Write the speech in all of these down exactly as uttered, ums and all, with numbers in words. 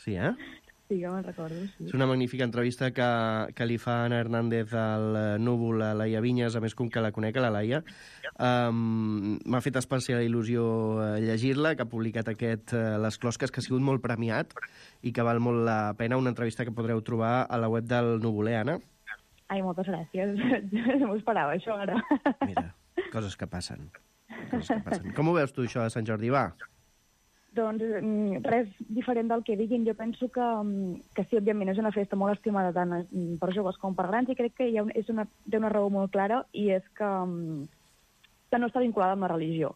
Sí, eh? Sí, que me'n recordo, sí. És una magnífica entrevista que, que li fa Ana Hernández al Núvol a Laia Vinyes, a més com que la conec, a la Laia. Um, M'ha fet especial il·lusió llegir-la, que ha publicat aquest uh, Les Closques, que ha sigut molt premiat i que val molt la pena, una entrevista que podreu trobar a la web del Núvol, eh, Anna? Ai, moltes gràcies. No m'ho esperava, això, ara. Mira, coses que passen. Coses que passen. Com ho veus tu, això de Sant Jordi? Va! Doncs res diferent del que diguin. Jo penso que, que sí, òbviament, és una festa molt estimada tant per joves com per grans i crec que hi ha un, és una, té una raó molt clara i és que, que no està vinculada amb la religió.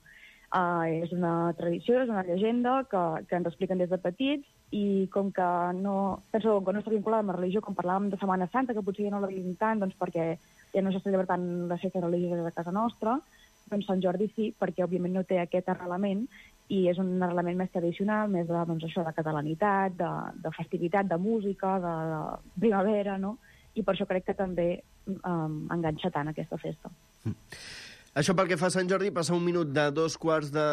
Uh, és una tradició, és una llegenda que, que ens expliquen des de petits i com que no, penso que no està vinculada amb la religió, com parlàvem de Setmana Santa, que potser ja no la vivim tant doncs perquè ja no s'està celebrant les festes religioses a casa nostra, doncs Sant Jordi sí, perquè òbviament no té aquest arrelament i és un arrelament més tradicional, més de, doncs, això, de catalanitat, de, de festivitat, de música, de, de primavera, no? I per això crec que també um, enganxa tant aquesta festa. Mm. Això pel que fa a Sant Jordi, passa un minut de dos quarts de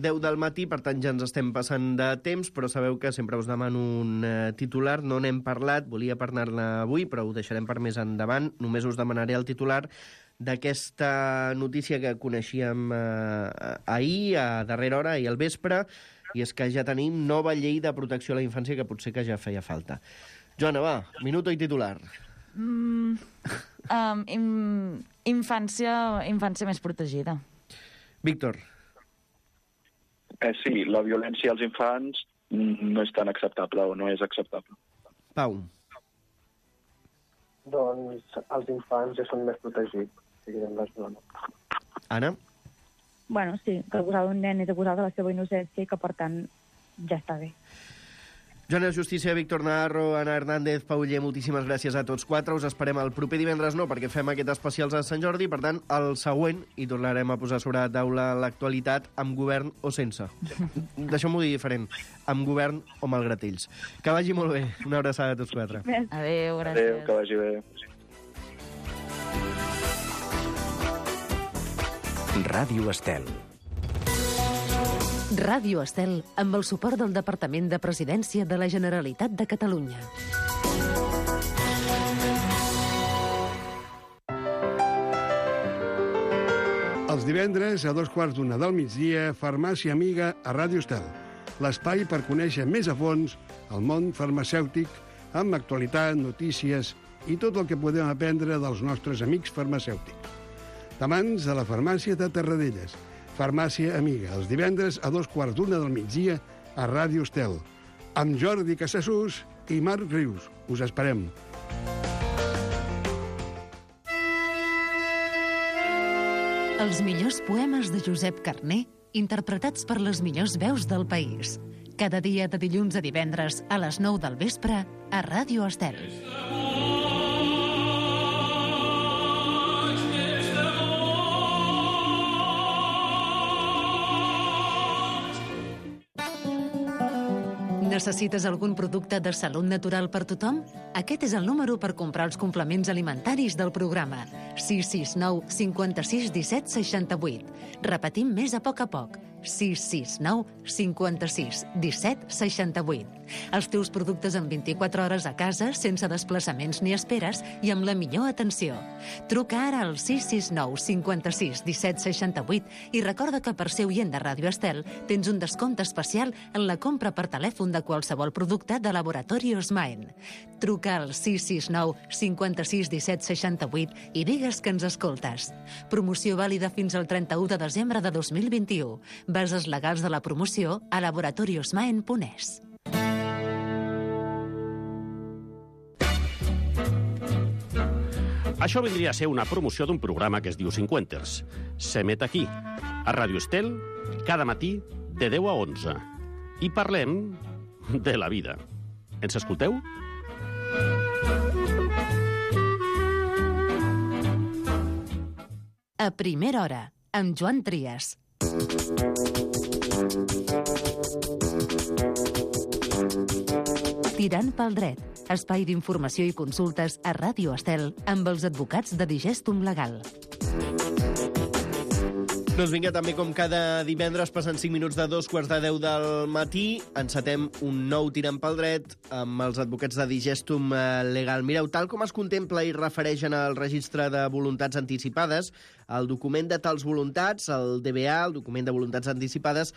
deu del matí, per tant ja ens estem passant de temps, però sabeu que sempre us demano un uh, titular, no n'hem parlat, volia parlar-ne avui, però ho deixarem per més endavant, només us demanaré el titular d'aquesta notícia que coneixíem eh, ahir, a darrera hora, i al vespre, i és que ja tenim nova llei de protecció a la infància que potser que ja feia falta. Joana, va, minuto i titular. Mm, um, in, infància, infància més protegida. Víctor. Eh, sí, la violència als infants no és tan acceptable o no és acceptable. Pau. Doncs els infants ja són més protegits. Anna? Bueno, sí, que acusar d'un nen és acusar de la seva innocència i que, per tant, ja està bé. Joana Justícia, Víctor Navarro, Ana Hernández, Pau Ller, moltíssimes gràcies a tots quatre. Us esperem el proper divendres, no, perquè fem aquest especial a Sant Jordi, per tant, el següent, i tornarem a posar sobre la taula l'actualitat amb govern o sense. Deixeu-m'ho dir diferent, amb govern o malgrat ells. Que vagi molt bé. Una abraçada a tots quatre. Adéu, gràcies. Adéu, que vagi bé. Ràdio Estel. Ràdio Estel, amb el suport del Departament de Presidència de la Generalitat de Catalunya. Els divendres, a dos quarts d'una del migdia, Farmàcia Amiga a Ràdio Estel. L'espai per conèixer més a fons el món farmacèutic, amb actualitat, notícies i tot el que podem aprendre dels nostres amics farmacèutics. Tamans de la farmàcia de Terradelles. Farmàcia Amiga, els divendres a dos quarts d'una del migdia a Ràdio Estel. Amb Jordi Casassús i Marc Rius. Us esperem. Els millors poemes de Josep Carner, interpretats per les millors veus del país. Cada dia de dilluns a divendres a les nou del vespre a Ràdio Estel. Necessites algun producte de salut natural per tothom? Aquest és el número per comprar els complements alimentaris del programa. sis sis nou cinquanta-sis disset seixanta-vuit. Repetim més a poc a poc. sis sis nou cinquanta-sis disset seixanta-vuit. Els teus productes en vint-i-quatre hores a casa, sense desplaçaments ni esperes i amb la millor atenció. Truca ara al sis sis nou cinquanta-sis disset seixanta-vuit i recorda que per ser oient de Ràdio Estel tens un descompte especial en la compra per telèfon de qualsevol producte de Laboratori Osmaen. Truca al sis sis nou cinquanta-sis disset seixanta-vuit i digues que ens escoltes. Promoció vàlida fins al trenta-u de desembre de dos mil vint-i-u. Bases legals de la promoció a laboratori osmaen punt es. Això vindria a ser una promoció d'un programa que es diu Cinquenters. S'emet aquí, a Ràdio Estel, cada matí de deu a onze. I parlem de la vida. Ens escolteu? A primera hora, amb Joan Trias. Tirant pel dret, espai d'informació i consultes a Ràdio Estel amb els advocats de Digestum Legal. Doncs vinga, també com cada divendres, passant cinc minuts de dos quarts de deu del matí, encetem un nou tirant pel dret amb els advocats de Digestum Legal. Mireu, tal com es contempla i refereix en el registre de voluntats anticipades, el document de tals voluntats, el D B A, el document de voluntats anticipades,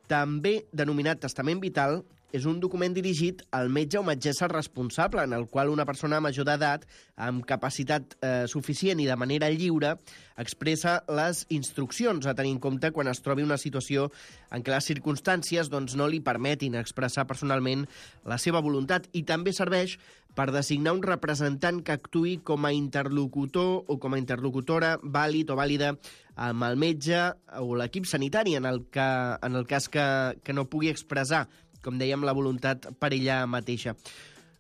també denominat testament vital, és un document dirigit al metge o metgessa responsable, en el qual una persona major d'edat, amb capacitat eh, suficient i de manera lliure, expressa les instruccions a tenir en compte quan es trobi una situació en què les circumstàncies doncs, no li permetin expressar personalment la seva voluntat, i també serveix per designar un representant que actuï com a interlocutor o com a interlocutora vàlid o vàlida amb el metge o l'equip sanitari en el, que, en el cas que, que no pugui expressar, com dèiem, la voluntat per ella mateixa.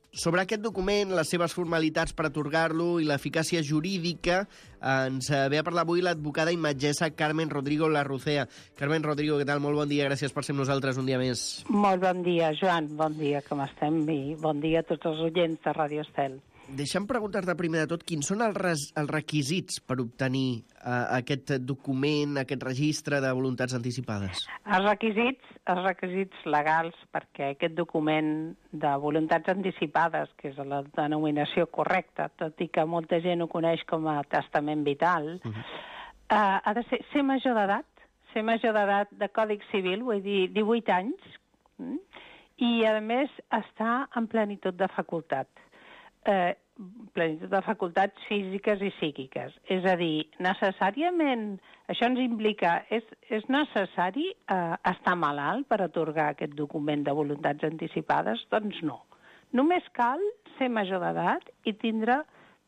Sobre aquest document, les seves formalitats per atorgar-lo i l'eficàcia jurídica, ens ve a parlar avui l'advocada i metgessa Carmen Rodrigo Larrucea. Carmen Rodrigo, què tal? Molt bon dia, gràcies per ser amb nosaltres un dia més. Molt bon dia, Joan, bon dia, com estem? I bon dia a tots els oients de Ràdio Estel. Deixa'm preguntar-te primer de tot quins són els, res, els requisits per obtenir uh, aquest document, aquest registre de voluntats anticipades. Els requisits, els requisits legals perquè aquest document de voluntats anticipades, que és la denominació correcta, tot i que molta gent ho coneix com a testament vital, uh-huh. uh, ha de ser, ser major d'edat, ser major d'edat de Còdig Civil, vull dir divuit anys, mm? I a més està en plenitud de facultat. Eh, plenitud de facultats físiques i psíquiques. És a dir, necessàriament, això ens implica, és, és necessari eh, estar malalt per atorgar aquest document de voluntats anticipades? Doncs no. Només cal ser major d'edat i tindre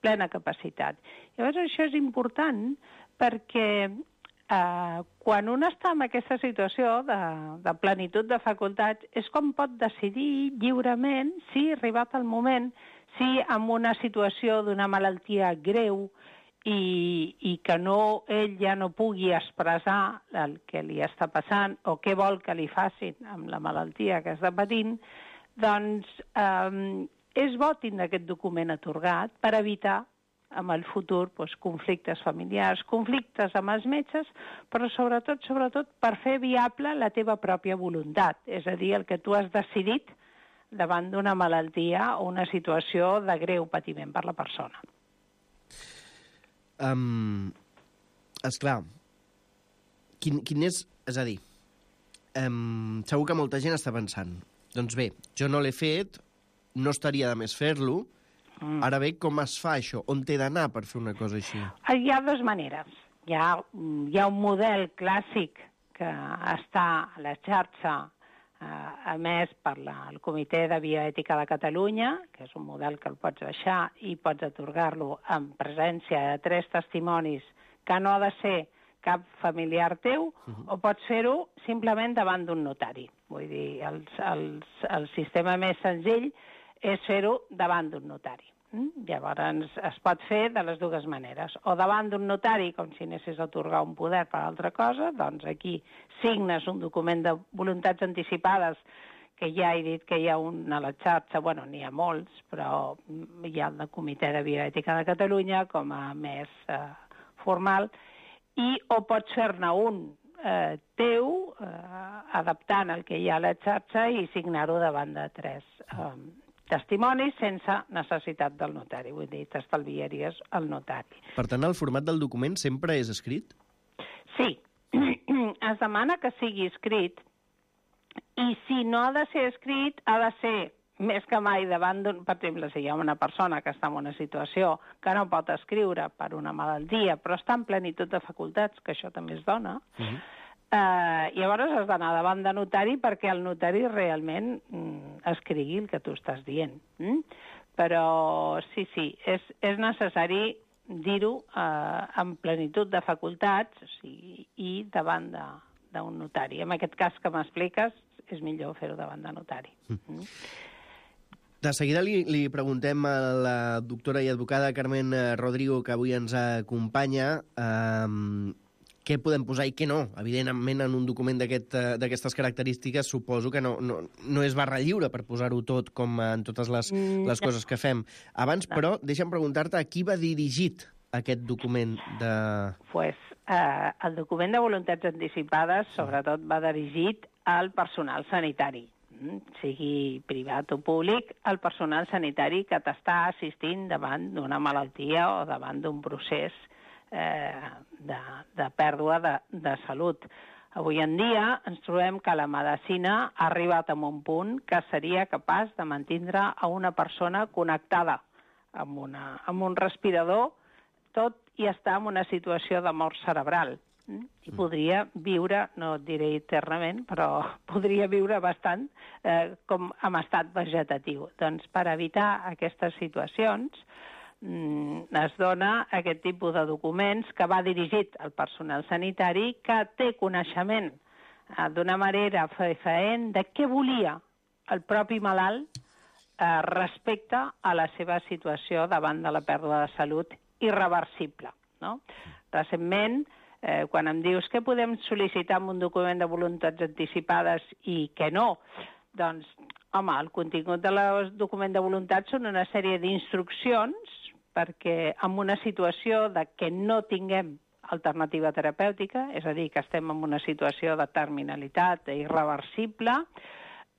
plena capacitat. Llavors això és important perquè eh, quan un està en aquesta situació de, de plenitud de facultats és com pot decidir lliurement si ha arribat el moment, si en una situació d'una malaltia greu i, i que no, ell ja no pugui expressar el que li està passant o què vol que li facin amb la malaltia que està patint, doncs eh, és bo tindre aquest document atorgat per evitar en el futur doncs, conflictes familiars, conflictes amb els metges, però sobretot, sobretot per fer viable la teva pròpia voluntat, és a dir, el que tu has decidit davant d'una malaltia o una situació de greu patiment per la persona. Um, esclar, quin, quin és... És a dir, um, segur que molta gent està pensant, doncs bé, jo no l'he fet, no estaria de més fer-lo, mm. Ara bé, com es fa això? On t'he d'anar per fer una cosa així? Hi ha dues maneres. Hi ha, hi ha un model clàssic que està a la xarxa a més per la, el Comitè de Bioètica de Catalunya, que és un model que el pots baixar i pots atorgar-lo en presència de tres testimonis que no ha de ser cap familiar teu, uh-huh. o pots fer-ho simplement davant d'un notari. Vull dir, el, el, el sistema més senzill és fer-ho davant d'un notari. Mm? Llavors es pot fer de les dues maneres. O davant d'un notari, com si anessis a atorgar un poder per altra cosa, doncs aquí signes un document de voluntats anticipades, que ja he dit que hi ha un a la xarxa, bueno, n'hi ha molts, però hi ha el Comitè de Bioètica de Catalunya com a més eh, formal, i o pots fer-ne un eh, teu, eh, adaptant el que hi ha a la xarxa i signar-ho davant de tres eh, testimonis sense necessitat del notari. Vull dir, t'estalviaries el notari. Per tant, el format del document sempre és escrit? Sí. Es demana que sigui escrit i si no ha de ser escrit, ha de ser més que mai davant d'un... Per exemple, si hi ha una persona que està en una situació que no pot escriure per una malaltia, però està en plenitud de facultats, que això també es dona, uh-huh. Uh, llavors has d'anar davant de notari perquè el notari realment mm, escrigui el que tu estàs dient. Mm? Però sí, sí, és, és necessari dir-ho uh, en plenitud de facultats, o sigui, i davant d'un notari. En aquest cas que m'expliques, és millor fer-ho davant de notari. Mm. De seguida li, li preguntem a la doctora i advocada Carmen Rodrigo, que avui ens acompanya, eh, què podem posar i què no. Evidentment, en un document d'aquestes aquest, característiques, suposo que no, no, no és barra lliure per posar-ho tot com en totes les, les coses que fem. Abans, però, deixa'm preguntar-te a qui va dirigit aquest document de... Pues, eh, el document de voluntats anticipades sobretot va dirigit al personal sanitari, sigui privat o públic, el personal sanitari que t'està assistint davant d'una malaltia o davant d'un procés eh, de, de pèrdua de, de salut. Avui en dia ens trobem que la medicina ha arribat a un punt que seria capaç de mantindre a una persona connectada amb, una, amb un respirador, tot i estar en una situació de mort cerebral. I podria viure, no et diré eternament, però podria viure bastant eh, com en estat vegetatiu. Doncs per evitar aquestes situacions mm, es dona aquest tipus de documents que va dirigit al personal sanitari que té coneixement eh, d'una manera fefaent de què volia el propi malalt eh, respecte a la seva situació davant de la pèrdua de salut irreversible. No? Recentment, Eh, quan em dius què podem sol·licitar amb un document de voluntats anticipades i què no, doncs, home, el contingut del document de voluntats són una sèrie d'instruccions perquè en una situació de que no tinguem alternativa terapèutica, és a dir, que estem en una situació de terminalitat irreversible,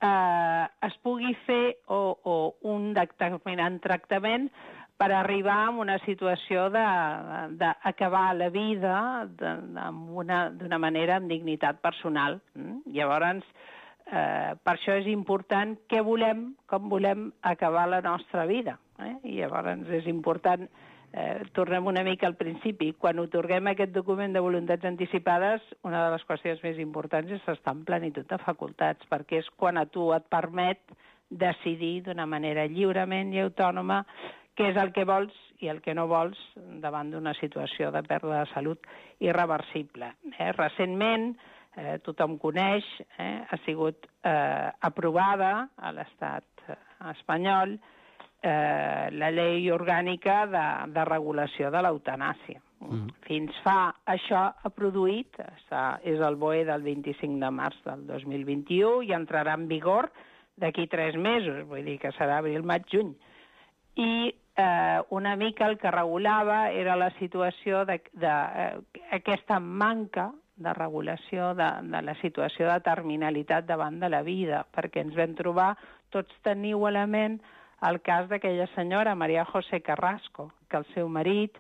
eh, es pugui fer o, o un determinant tractament per arribar a una situació d'acabar la vida d'una manera amb dignitat personal. Llavors, eh, per això és important què volem, com volem acabar la nostra vida. Eh? I llavors és important, eh, tornem una mica al principi, quan otorguem aquest document de voluntats anticipades, una de les qüestions més importants és estar en plenitud de facultats, perquè és quan a tu et permet decidir d'una manera lliurement i autònoma què és el que vols i el que no vols davant d'una situació de pèrdua de salut irreversible. Eh? Recentment, eh, tothom coneix, eh, ha sigut eh, aprovada a l'estat espanyol eh, la llei orgànica de, de regulació de l'eutanàsia. Mm. Fins fa això ha produït, està, és el B O E del vint-i-cinc de març del dos mil vint-i-u i entrarà en vigor d'aquí tres mesos, vull dir que serà abril, maig, juny. I eh, una mica el que regulava era la situació d'aquesta eh, manca de regulació de, de la situació de terminalitat davant de la vida, perquè ens vam trobar, tots teniu a la ment, el cas d'aquella senyora, Maria José Carrasco, que el seu marit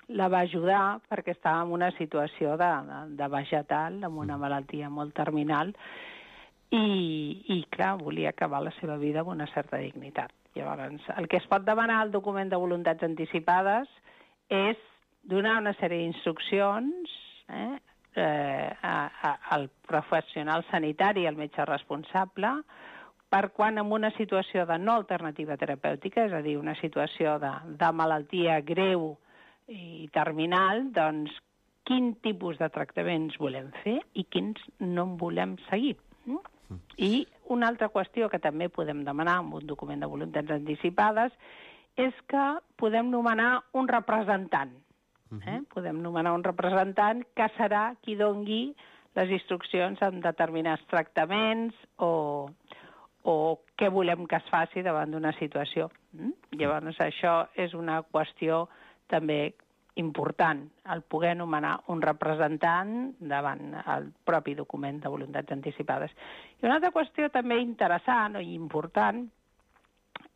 la va ajudar perquè estava en una situació de, de, de vegetal, amb una malaltia molt terminal, i, i clar, volia acabar la seva vida amb una certa dignitat. Llavors, el que es pot demanar al document de voluntats anticipades és donar una sèrie d'instruccions eh, eh, a, a, al professional sanitari, al metge responsable, per quan en una situació de no alternativa terapèutica, és a dir, una situació de, de malaltia greu i terminal, doncs quin tipus de tractaments volem fer i quins no en volem seguir. Mm? I una altra qüestió que també podem demanar amb un document de voluntats anticipades és que podem nomenar un representant. Eh? Podem nomenar un representant que serà qui dongui les instruccions en determinats tractaments o, o què volem que es faci davant d'una situació. Mm? Llavors, això és una qüestió també important, el poder nomenar un representant davant el propi document de voluntats anticipades. I una altra qüestió també interessant i important,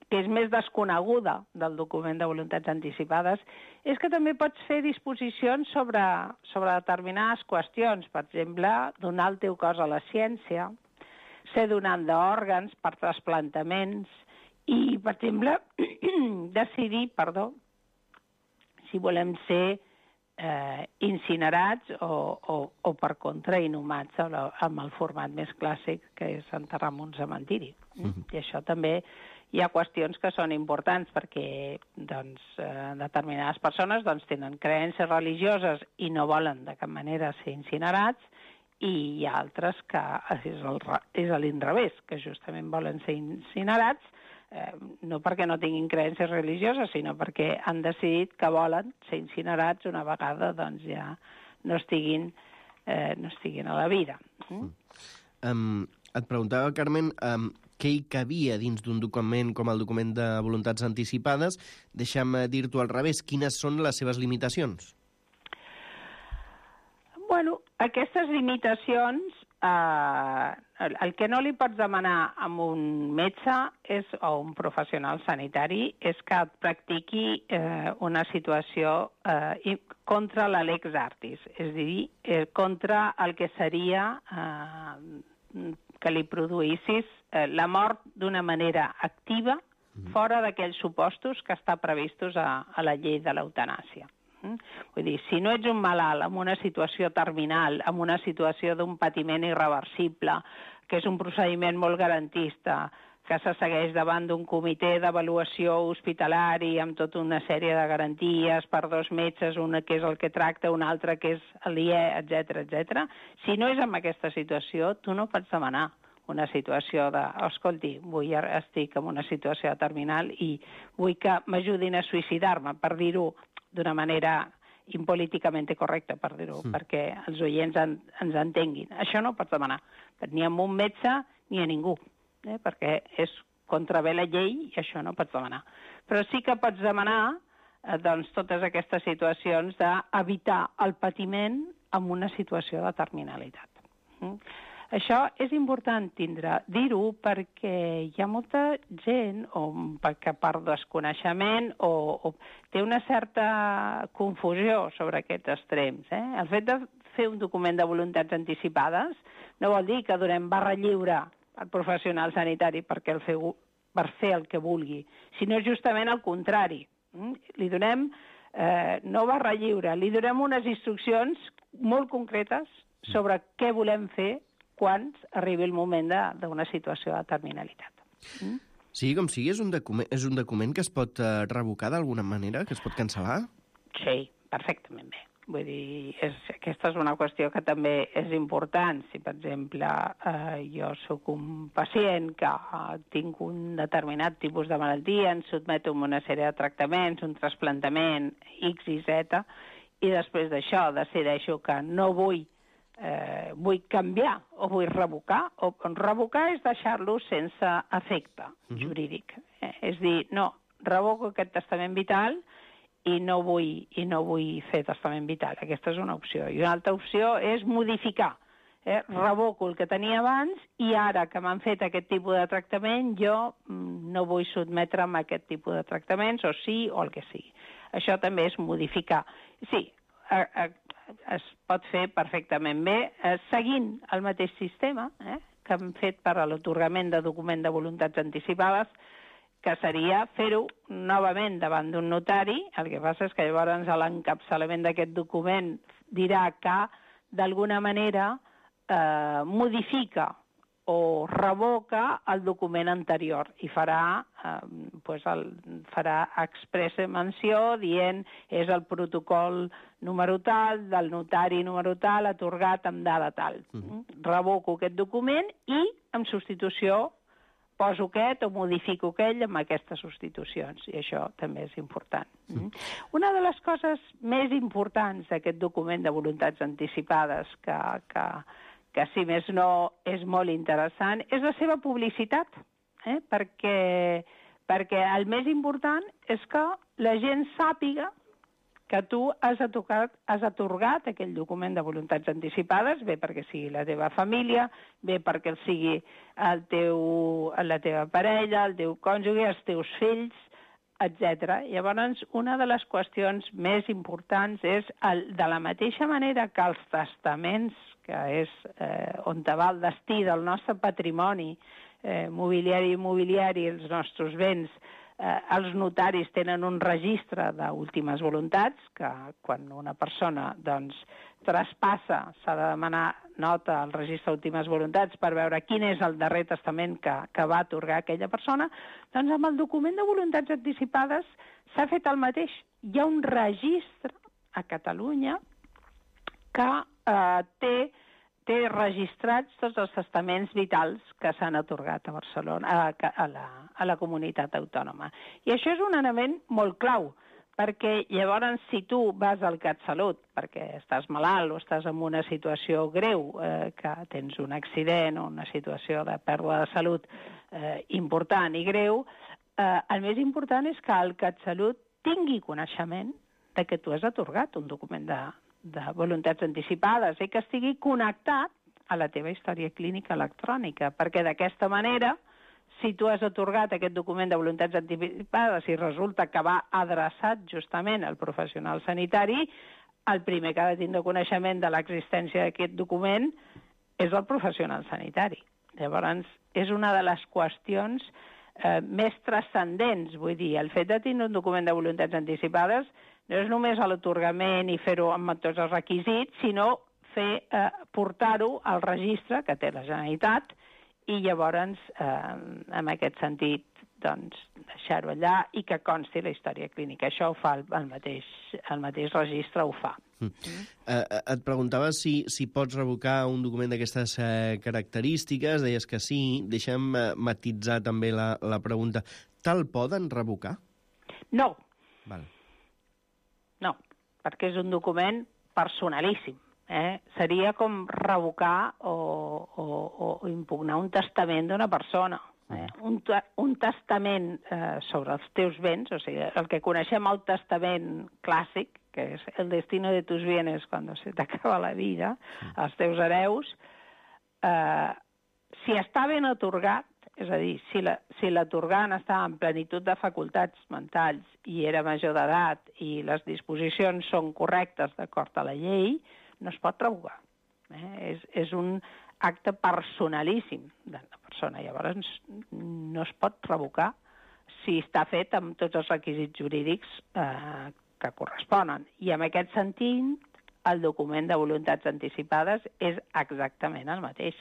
que és més desconeguda del document de voluntats anticipades, és que també pots fer disposicions sobre, sobre determinades qüestions. Per exemple, donar el teu cos a la ciència, ser donant d'òrgans per trasplantaments i, per exemple, decidir, perdó, si volem ser eh, incinerats o, o, o per contra inhumats amb el format més clàssic, que és enterrar en un cementiri. Mm-hmm. I això també hi ha qüestions que són importants perquè doncs, eh, determinades persones doncs, tenen creences religioses i no volen de cap manera ser incinerats, i hi ha altres que és, el, és a l'inrevés, que justament volen ser incinerats, Eh, no perquè no tinguin creences religioses, sinó perquè han decidit que volen ser incinerats una vegada doncs, ja no estiguin, eh, no estiguin a la vida. Mm? Um, et preguntava, Carmen, um, què hi cabia dins d'un document com el document de voluntats anticipades. Deixa'm dir-t'ho al revés, quines són les seves limitacions? Bueno, aquestes limitacions, eh, el, el que no li pots demanar a un metge és, o un professional sanitari és que et practiqui eh, una situació eh, contra la lex artis, és a dir, eh, contra el que seria eh, que li produïssis eh, la mort d'una manera activa fora d'aquells supostos que està previstos a, a la llei de l'eutanàsia. Vull dir, si no ets un malalt amb una situació terminal, amb una situació d'un patiment irreversible, que és un procediment molt garantista, que se segueix davant d'un comitè d'avaluació hospitalari amb tota una sèrie de garanties per dos metges, una que és el que tracta, una altra que és l'I E, etcètera, etcètera. Si no és en aquesta situació, tu no pots demanar una situació de, escolti, vull, estic en una situació terminal i vull que m'ajudin a suïcidar-me, per dir-ho d'una manera impolíticament correcta, per dir-ho, mm. perquè els oients en, ens entenguin. Això no pots demanar, ni a un metge ni a ningú, eh? perquè és contravé la llei i això no pots demanar. Però sí que pots demanar eh, doncs, totes aquestes situacions d'evitar el patiment en una situació de terminalitat. Mm? Això és important tindre, dir-ho, perquè hi ha molta gent o que per desconeixement o, o té una certa confusió sobre aquests extrems. Eh? El fet de fer un document de voluntats anticipades no vol dir que donem barra lliure al professional sanitari perquè el feu, per fer el que vulgui, sinó justament al contrari. Mm? Li donem, eh, no barra lliure, li donem unes instruccions molt concretes sobre què volem fer quan arribi el moment d'una situació de terminalitat. Mm? Sí, com sigui, és un document, és un document que es pot uh, revocar d'alguna manera, que es pot cancel·lar? Sí, perfectament bé. Vull dir, és, aquesta és una qüestió que també és important. Si, per exemple, eh, jo sóc un pacient que eh, tinc un determinat tipus de malaltia, em sotmeto a una sèrie de tractaments, un trasplantament, X i Z, i després d'això decideixo que no vull Eh, vull canviar o vull revocar, o revocar és deixar-lo sense efecte uh-huh. jurídic. Eh? És dir, no, revoco aquest testament vital i no vull, i no vull fer testament vital. Aquesta és una opció. I una altra opció és modificar. Eh? Revoco el que tenia abans i ara que m'han fet aquest tipus de tractament jo mm, no vull sotmetre'm a aquest tipus de tractaments, o sí, o el que sigui. Això també és modificar. Sí, a, a, es pot fer perfectament bé, eh, seguint el mateix sistema eh, que hem fet per a l'atorgament de document de voluntats anticipades, que seria fer-ho novament davant d'un notari. El que passa és que llavors l'encapçalament d'aquest document dirà que d'alguna manera eh, modifica o revoca el document anterior i farà, eh, pues el, farà expressa menció dient és el protocol número tal, del notari número tal, atorgat amb dada tal. Uh-huh. Revoco aquest document i, en substitució, poso aquest o modifico aquell amb aquestes substitucions, i això també és important. Uh-huh. Una de les coses més importants d'aquest document de voluntats anticipades que... que que si més no és molt interessant, és la seva publicitat, eh? perquè, perquè el més important és que la gent sàpiga que tu has atorgat, has atorgat aquell document de voluntats anticipades, bé perquè sigui la teva família, bé perquè sigui el teu, la teva parella, el teu cònjuge, els teus fills, etcètera. Llavors, una de les qüestions més importants és, el, de la mateixa manera que els testaments, que és eh, on va el destí del nostre patrimoni eh, mobiliari i immobiliari, els nostres béns, eh, els notaris tenen un registre d'últimes voluntats, que quan una persona doncs, traspassa, s'ha de demanar nota al registre d'últimes voluntats per veure quin és el darrer testament que, que va atorgar aquella persona, doncs amb el document de voluntats anticipades s'ha fet el mateix. Hi ha un registre a Catalunya que eh, té, té registrats tots els testaments vitals que s'han atorgat a Barcelona, a, a, la, a la comunitat autònoma. I això és un element molt clau, perquè llavors si tu vas al CatSalut perquè estàs malalt o estàs en una situació greu, eh, que tens un accident o una situació de pèrdua de salut eh, important i greu, eh, el més important és que el CatSalut tingui coneixement de que tu has atorgat un document de, de voluntats anticipades i que estigui connectat a la teva història clínica electrònica, perquè d'aquesta manera, si tu has atorgat aquest document de voluntats anticipades i resulta que va adreçat justament al professional sanitari, el primer que ha de tindre coneixement de l'existència d'aquest document és el professional sanitari. Llavors, és una de les qüestions eh, més transcendents, vull dir, el fet de tenir un document de voluntats anticipades no és només l'atorgament i fer-ho amb tots els requisits, sinó fer eh, portar-ho al registre que té la Generalitat i llavors, eh, en aquest sentit, doncs, deixar-ho allà i que consti la història clínica. Això ho fa el, el, mateix, el mateix registre, ho fa. Mm. Uh, et preguntava si, si pots revocar un document d'aquestes uh, característiques, deies que sí. Deixa'm uh, matitzar també la, la pregunta. Te'l poden revocar? No. Val. No, perquè és un document personalíssim. Eh? Seria com revocar o, o, o impugnar un testament d'una persona. Eh? Un, un testament eh, sobre els teus béns, o sigui, el que coneixem el testament clàssic, que és el destino de tus bienes quan se t'acaba la vida, els teus hereus, eh, si està ben atorgat, és a dir, si l'atorgant la, si estava en plenitud de facultats mentals i era major d'edat i les disposicions són correctes d'acord a la llei, no es pot revocar. Eh? És, és un acte personalíssim de la persona. Llavors, no es pot revocar si està fet amb tots els requisits jurídics eh, que corresponen. I en aquest sentit, el document de voluntats anticipades és exactament el mateix.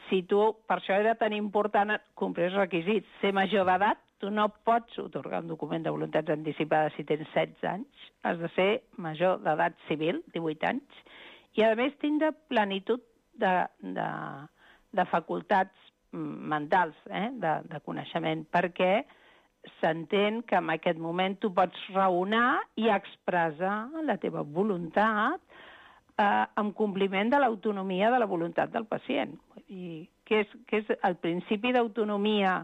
Si tu, per això era tan important complir els requisits, ser major d'edat, tu no pots atorgar un document de voluntats anticipades si tens setze anys, has de ser major d'edat civil, divuit anys, i a més tindre plenitud de, de, de facultats mentals, eh? de, de coneixement, perquè s'entén que en aquest moment tu pots raonar i expressar la teva voluntat eh, en compliment de l'autonomia de la voluntat del pacient. I que és, que és el principi d'autonomia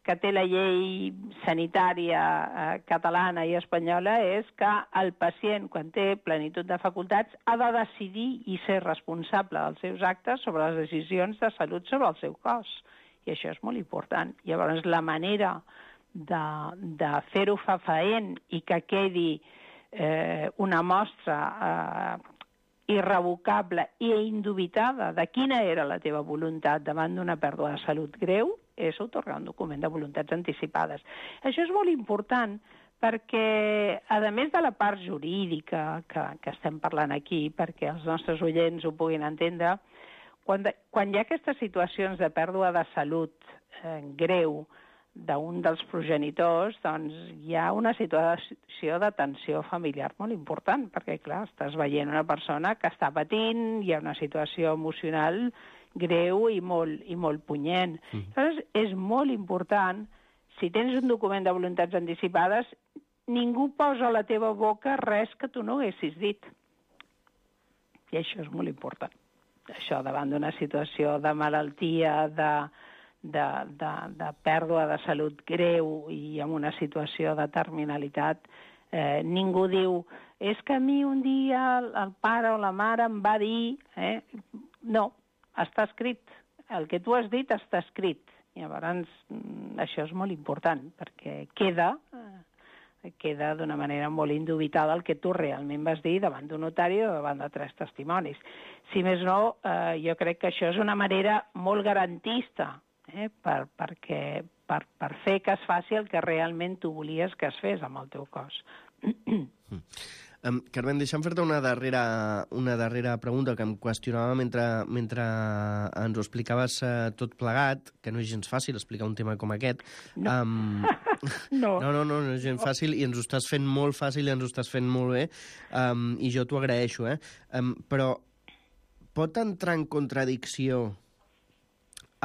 que té la llei sanitària eh, catalana i espanyola és que el pacient, quan té plenitud de facultats, ha de decidir i ser responsable dels seus actes sobre les decisions de salut sobre el seu cos. I això és molt important. Llavors, la manera de, de fer-ho fefaent i que quedi eh, una mostra eh, irrevocable i indubitada de quina era la teva voluntat davant d'una pèrdua de salut greu, és atorgar un document de voluntats anticipades. Això és molt important perquè, a més de la part jurídica que, que estem parlant aquí, perquè els nostres oients ho puguin entendre, quan, de, quan hi ha aquestes situacions de pèrdua de salut eh, greu d'un dels progenitors, doncs hi ha una situació de tensió familiar molt important, perquè, clar, estàs veient una persona que està patint, hi ha una situació emocional greu i molt, i molt punyent. Mm. Llavors, és molt important, si tens un document de voluntats anticipades, ningú posa a la teva boca res que tu no haguessis dit. I això és molt important. Això davant d'una situació de malaltia, de, de, de, de pèrdua de salut greu i en una situació de terminalitat, eh, ningú diu, és que a mi un dia el, el pare o la mare em va dir... Eh? No, està escrit. El que tu has dit està escrit. Llavors, això és molt important, perquè queda, eh, queda d'una manera molt indubitada el que tu realment vas dir davant d'un notari o davant de tres testimonis. Si més no, eh, jo crec que això és una manera molt garantista eh, per, perquè, per, per fer que es faci el que realment tu volies que es fes amb el teu cos. Um, Carmen, deixa'm fer-te una darrera, una darrera pregunta que em qüestionava mentre, mentre ens ho explicaves uh, tot plegat, que no és gens fàcil explicar un tema com aquest. No. Um, no. no, no, no, no és gens fàcil i ens ho estàs fent molt fàcil i ens ho estàs fent molt bé um, i jo t'ho agraeixo, eh? Um, però pot entrar en contradicció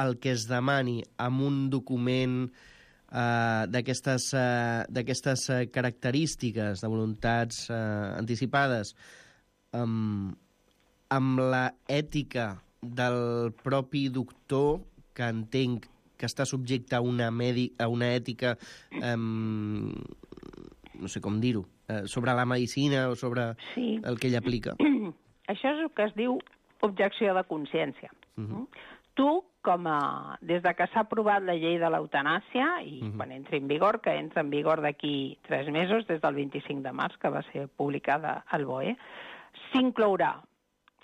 el que es demani amb un document uh, d'aquestes uh, d'aquestes uh, característiques de voluntats uh, anticipades um, amb la ètica del propi doctor, que entenc que està subjecte a una, medi a una ètica, um, no sé com dir-ho, uh, sobre la medicina o sobre sí. el que ell aplica. Això és el que es diu objecció de consciència. Uh-huh. Tu, com a, des de que s'ha aprovat la llei de l'eutanàsia, i uh-huh. quan entri en vigor, que entra en vigor d'aquí tres mesos, des del vint-i-cinc de març, que va ser publicada al B O E, s'inclourà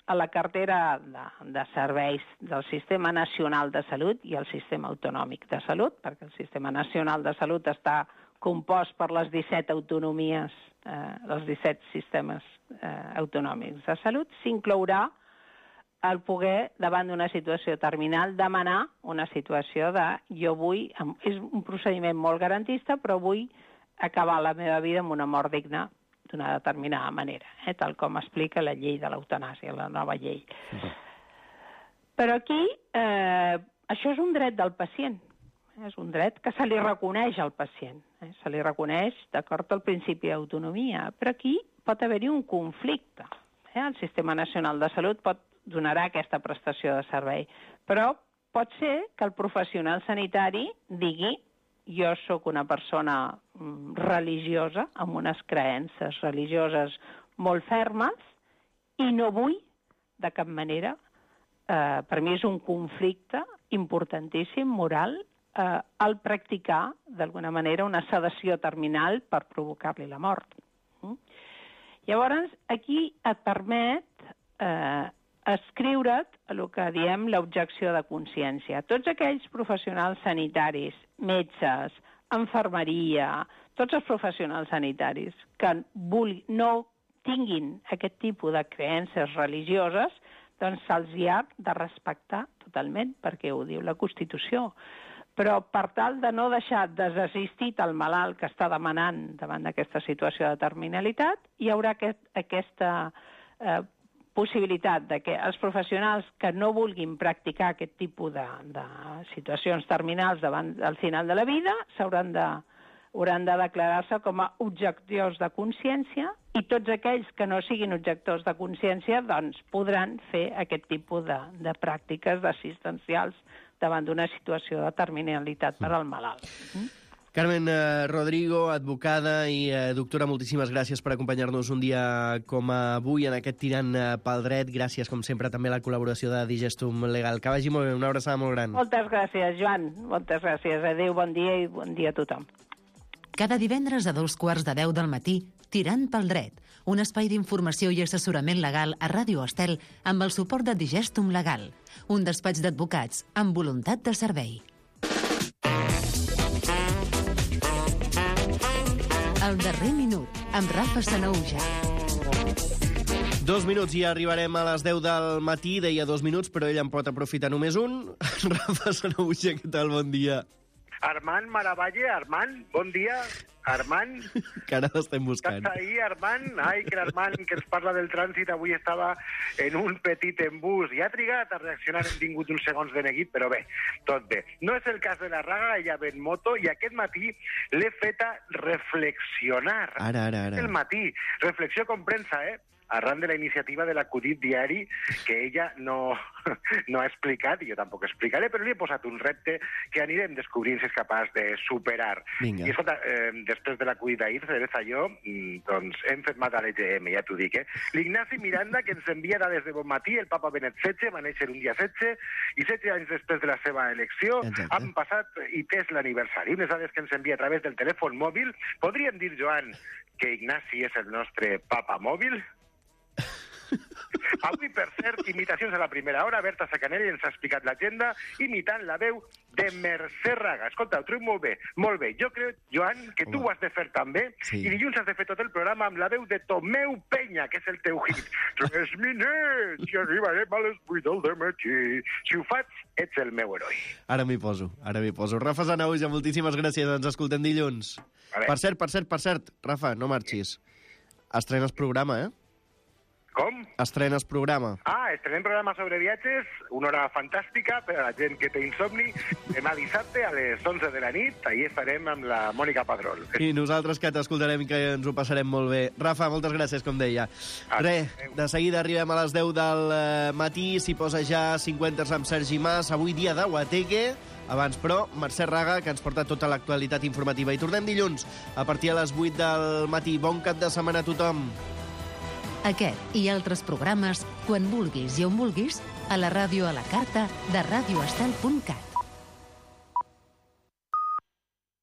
a la cartera de, de serveis del Sistema Nacional de Salut i el Sistema Autonòmic de Salut, perquè el Sistema Nacional de Salut està compost per les disset autonomies, eh, els disset sistemes eh, autonòmics de salut, s'inclourà el poder, davant d'una situació terminal, demanar una situació de jo vull, és un procediment molt garantista, però vull acabar la meva vida amb una mort digna d'una determinada manera, eh, tal com explica la llei de l'eutanàsia, la nova llei. Uh-huh. Però aquí, eh, això és un dret del pacient, és un dret que se li reconeix al pacient, eh, se li reconeix d'acord al principi d'autonomia, però aquí pot haver-hi un conflicte. Eh? El Sistema Nacional de Salut pot donarà aquesta prestació de servei, però pot ser que el professional sanitari digui jo sóc una persona religiosa, amb unes creences religioses molt fermes, i no vull, de cap manera, eh, per mi és un conflicte importantíssim, moral, eh, el practicar, d'alguna manera, una sedació terminal per provocar-li la mort. Mm? Llavors, aquí et permet eh, escriure't el que diem l'objecció de consciència. Tots aquells professionals sanitaris, metges, infermeria, tots els professionals sanitaris que vulgui, no tinguin aquest tipus de creences religioses, doncs se'ls ha de respectar totalment, perquè ho diu la Constitució. Però per tal de no deixar desassistit el malalt que està demanant davant d'aquesta situació de terminalitat, hi haurà aquest, aquesta eh, possibilitat de que els professionals que no vulguin practicar aquest tipus de, de situacions terminals davant del final de la vida s'hauran de, hauran de declarar-se com a objectors de consciència, i tots aquells que no siguin objectors de consciència doncs podran fer aquest tipus de, de pràctiques assistencials davant d'una situació de terminalitat per al malalt. Mm? Carmen eh, Rodrigo, advocada i eh, doctora, moltíssimes gràcies per acompanyar-nos un dia com avui en aquest Tirant eh, pel Dret. Gràcies, com sempre, també a la col·laboració de Digestum Legal. Que vagi molt bé, una abraçada molt gran. Moltes gràcies, Joan. Moltes gràcies. Adéu, bon dia i bon dia a tothom. Cada divendres a dos quarts de deu del matí, Tirant pel Dret, un espai d'informació i assessorament legal a Ràdio Estel amb el suport de Digestum Legal, un despatx d'advocats amb voluntat de servei. El darrer minut, amb Rafa Sanauja. Dos minuts i arribarem a les deu del matí. Deia dos minuts, però ell en pot aprofitar només un. Rafa Sanauja, què tal? Bon dia. Armand Maravalle, Armand, bon dia. Armand. Que ara l'estem buscant. Estàs ahí, Armand? Ai, que l'Armand, que ens parla del trànsit, avui estava en un petit embús i ha trigat a reaccionar, hem tingut uns segons de neguit, però bé, tot bé. No és el cas de la Raga, ella ve en moto, i aquest matí l'he feta reflexionar. Ara, ara, ara. El matí. Reflexió com premsa, eh? Arran de la iniciativa de l'acudit diari que ella no, no ha explicat, i jo tampoc explicaré, però li he posat un repte que anirem descobrint si és capaç de superar. Vinga. I escolta, eh, després de l'acudit d'ahir, Teresa i jo, doncs hem fet mat a l'E G M, ja t'ho dic, eh? L'Ignasi Miranda, que ens envia dades de bon matí, el papa Benet setze, va néixer un dia setze, i setze anys després de la seva elecció, exacte, han passat i és l'aniversari. Unes dades que ens envia a través del telèfon mòbil. Podríem dir, Joan, que Ignasi és el nostre papa mòbil? Avui, per cert, imitacions a la primera hora. Berta Sacanelli ens ha explicat l'agenda imitant la veu de Mercè Raga. Escolta, ho trobo molt bé, molt bé. Jo crec, Joan, que tu ho has de fer també, sí. I dilluns has de fer tot el programa amb la veu de Tomeu Penya, que és el teu hit. Tres minets i arribarem a les vuit del dematí. Si ho faig, ets el meu heroi. Ara m'hi poso, ara m'hi poso. Rafa Sanauja, moltíssimes gràcies. Ens escoltem dilluns. Vale. Per cert, per cert, per cert, Rafa, no marxis. Estrenes programa, eh? Com? Estrenes programa. Ah, estrenem programa sobre viatges, una hora fantàstica per a la gent que té insomni. Demà dissabte a les onze de la nit, ahir estarem amb la Mònica Padrol. I nosaltres que t'escoltarem i que ens ho passarem molt bé. Rafa, moltes gràcies, com deia. Ah, Re, de seguida arribem a les deu del matí, s'hi posa ja cinquanta amb Sergi Mas, avui dia de Guateque. Abans, però, Mercè Raga, que ens porta tota l'actualitat informativa. I tornem dilluns, a partir de les vuit del matí. Bon cap de setmana a tothom. Aquest i altres programes, quan vulguis i on vulguis, a la ràdio a la carta de radioestel punt cat.